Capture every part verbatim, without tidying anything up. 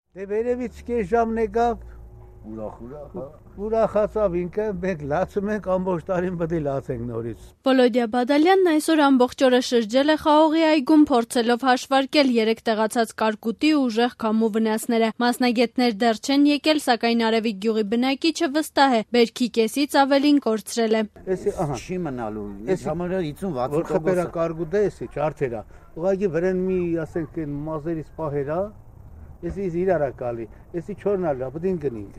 Դե վերևից կես ժամն եկավ, ուրախացավ ինքը, մենք լացում ենք, ամբողջ տարին պետք է լացենք նորից։ Վոլոդիա Բադալյանն այսօր ամբողջ օրը շրջել է Խաղողի այգում, փորձելով հաշվարկել երեք տեղացած կարկուտի ուժեղ քամու վնասները։ Մասնագետներ դեռ չեն եկել, սակայն Արևիկ գյուղի բնակիչը վստահ է, բերքի կեսից ավելին կորցրել է։ Էսի ահա չի մնալու, ես համարյա հիսուն վաթսուն տոկոս խփերա կարկուտը էսի չարթերա։ Ուղղակի վրան մի, ասենք, մազերից պահերա, էսի իրարա կալի, էսի չորնալա, պետք է գնինք։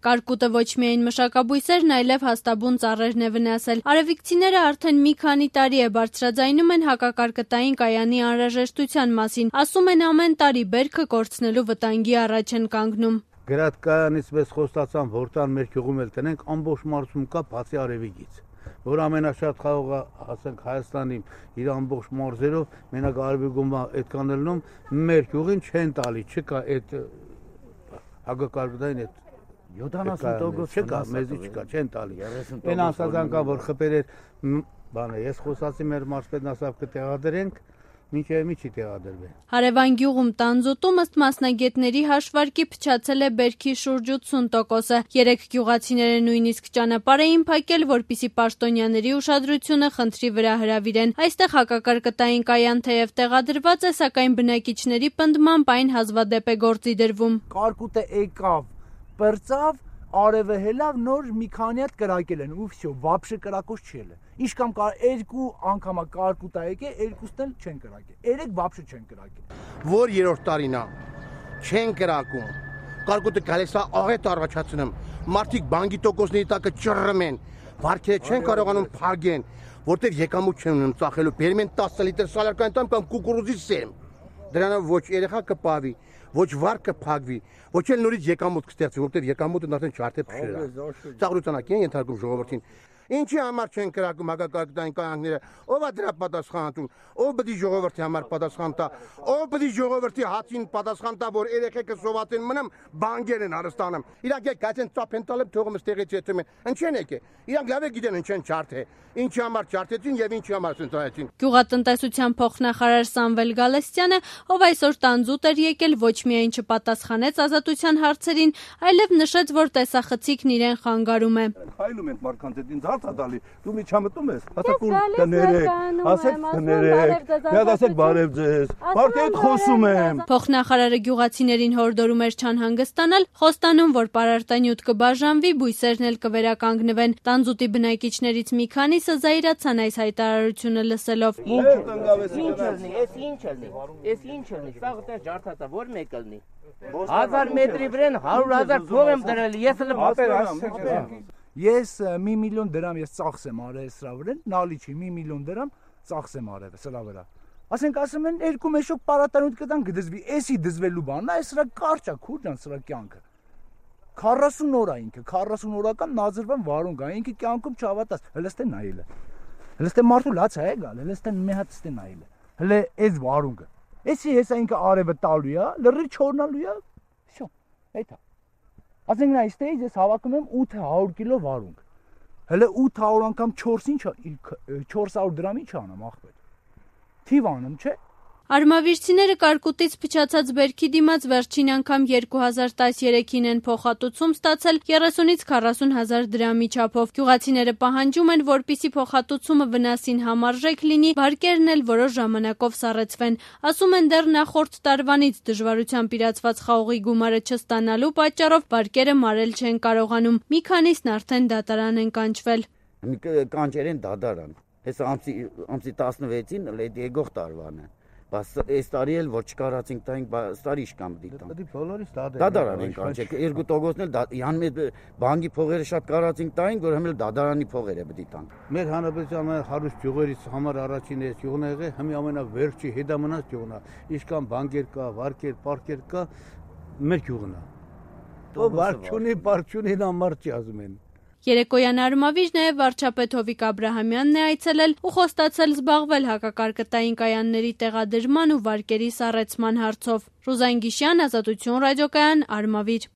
Կարկուտը ոչ միայն մշակաբույսերն, այլև հաստաբուն ծառերն է վնասել։ Արևիկցիները արդեն մի քանի տարի է բարձրաձայնում են հակակարկտային կայանի անհրաժեշտության մասին։ Ասում են ամեն տարի բերքը կորցնելու վտանգի առաջ են կանգնում։ Գրադկանից մեզ խոստացան, որ տան մեր գյուղում էլ տնենք, ամբողջ մարզում կա բացի Արևիկից, որ ամենաշատ խաղողը, ասենք, Հայաստանի իր ամբողջ մարզերով մենակ Արևիկում այդքան ելնում, մեր գյուղին չեն տալի, չկա այդ հակակարկտային այդ յոթանասուն տոկոս չկա, մեզի չկա, չեն տալի։ Այն ասածանքա, որ խփեր էր, բանը, ես խոսացի մեր մարզպետն ասավ կտեղադրենք, մինչև մի չի տեղադրվել։ Հարևան գյուղում տանձուտում ըստ մասնագետների հաշվարկի փչացել է բերքի շուրջ ութսուն տոկոսը։ Երեք գյուղացիները նույնիսկ ճանապարհ էին փակել, որպեսզի պաշտոնյաների ուշադրությունը խնդրի վրա հրավիրեն։ Այստեղ հակակարկտային կայան թեև տեղադրված է, սակայն բնակիչների պնդմամբ այն հազվադեպ է գործի դրվում։ Կարկուտը եկավ, բրծավ, արևը հելավ, նոր մի քանի հատ կրակել են, ու վсё, вообще կրակոց չի ելը։ Ինչ կամ երկու անգամա կարկուտա եկե, երկուսն էլ չեն կրակել։ Երեք вообще չեն կրակել։ Որ երրորդ տարին է, չեն կրակում։ Կարկուտը գալիս է աղետ առաջացնում։ Մարդիկ բանկի տոկոսների տակը ճռռում են, վարքերը չեն կարողանում փագեն, որտեղ եկամուտ չեն ունում ծախելու։ Բերում են տասը լիտր սալարկային տամ կամ կուկուրուզի սեմ։ Դրանով ոչ երեխա կպավի, ոչ վար կփակվի, ոչ էլ նորից եկամուտ կստեղծվի, որտեղ եկամուտը արդեն չարթե փշել է։ Ծաղրությունակ են ենթարկում ժողովրդին։ Ինչի համար չեն կրակում հակակարկտային կայանքները, ով է դրա պատասխանատուն, ով պետք է ժողովրդի համար պատասխան տա, ով պետք է ժողովրդի հացին պատասխան տա, որ երեխեքը սովածեն մնամ, բանկեր են հարստանում։ Իրանք եկած են ծափեն տալը թողում ստեղից եթում են։ Ինչեն եկե։ Իրանք լավ է գիտեն ինչեն չարթե։ Ինչի համար չարթեցին եւ ինչի համար ցնցայեցին։ Գյուղատնտեսության փոխնախարար Սամվել Գալստյանը, ով այսօր տանձուտ էր եկել, ոչ միայն չպատասխանեց ազատության հարցերին, այլև նշեց, որ տեսախցիկն իրեն խանգարում է։ Հայլում են մարդկանց ինձ հարց ադալի, դու մի չամտում ես, ասեք ու կներեք, ասեք կներեք, միած ասեք բարև ձեզ, մարդի հետ խոսում եմ։ Փոխնախարարը գյուղացիներին հորդորում էր չանհանգստանալ, խոստանում, որ պարարտանյութ կբաժանվի, բույսերն էլ կվերականգնվեն։ Տանձուտի բնակիչներից մի քանիսը զայրացան այս հայտարարությունը լսելով։ Ինչ ելնի, էս ինչ ելնի, էս ինչ ելնի, սա գտեր ջարդատա, որ մեկ ելնի։ Հազար մետրի վրան հարյուր հազար փող եմ դրել, ես էլ ապեր Ես մի միլիոն դրամ ես ծախսեմ արել սրա վրա, նալի չի, մի միլիոն դրամ ծախսեմ արել սրա վրա։ Ասենք ասում են երկու մեշոկ պարարտանյութ կտան կդզվի, էսի դզվելու բանն է, այս սրա կարճ է, քուրջան սրա կյանքը։ քառասուն օր է ինքը, քառասուն օրական նազրվան վարունգ է, ինքը կյանքում չհավատաս, հլստե նայելը։ Հլստե մարդու լաց է գալ, հլստե մի հատ ստե նայելը։ Հլե այս վարունգը։ Էսի հեսա ինքը արևը տալու է, լրի չորնալու է, всё, այդ է։ Ասենք նա այստեղից ես հավաքում եմ ութ հարյուր կիլո վարունգ։ Հələ ութ հարյուր անգամ չորս ինչ չորս հարյուր դրամի չանամ ախպետ։ Թիվ անեմ, չէ։ Արմավիրցիները կարկուտից փչացած բերքի դիմաց վերջին անգամ երկու հազար տասներեքին են փոխհատուցում ստացել երեսունից քառասուն հազար դրամի չափով։ Գյուղացիները պահանջում են, որպեսզի փոխհատուցումը վնասին համարժեք լինի, վարկերն էլ որոշ ժամանակով սառեցվեն։ Ասում են դեռ նախորդ տարվանից դժվարությամբ իրացված խաղողի գումարը չստանալու պատճառով վարկերը մարել չեն կարողանում։ Մի քանիսն արդեն դատարան են կանչվել։ Կանչեր են դատարան։ Հեսա ամսի ամսի տասնվեցին եկող տարվան է։ Բայց այս տարի էլ որ չկարացինք տանք, տարի իշկամ դիտան։ Դա բոլորից դադարան են կանչել։ Երկու տոկոսն էլ յան մեր բանկի փողերը շատ կարացինք տանք, որ հəmել դադարանի փողերը պետք է տանք։ Մեր հանրապետության հարուստ գյուղերից համար առաջին էս գյուղն է եղել, հիմա ամենավերջի հետամնաց գյուղն է։ Իշքան բանկեր կա, վարկեր, պարկեր կա, մեր գյուղն է։ Ո վարչունի, պարչունին ամառ չի ասում են։ Երեկոյան Արմավիր նաև վարչապետ Հովիկ Աբրահամյանն է այցելել ու խոստացել զբաղվել հակակարկտային կայանների տեղադրման ու վարկերի սառեցման հարցով։ Ռուզան Գիշյան, Ազատություն ռադիոկայան, Արմավիր։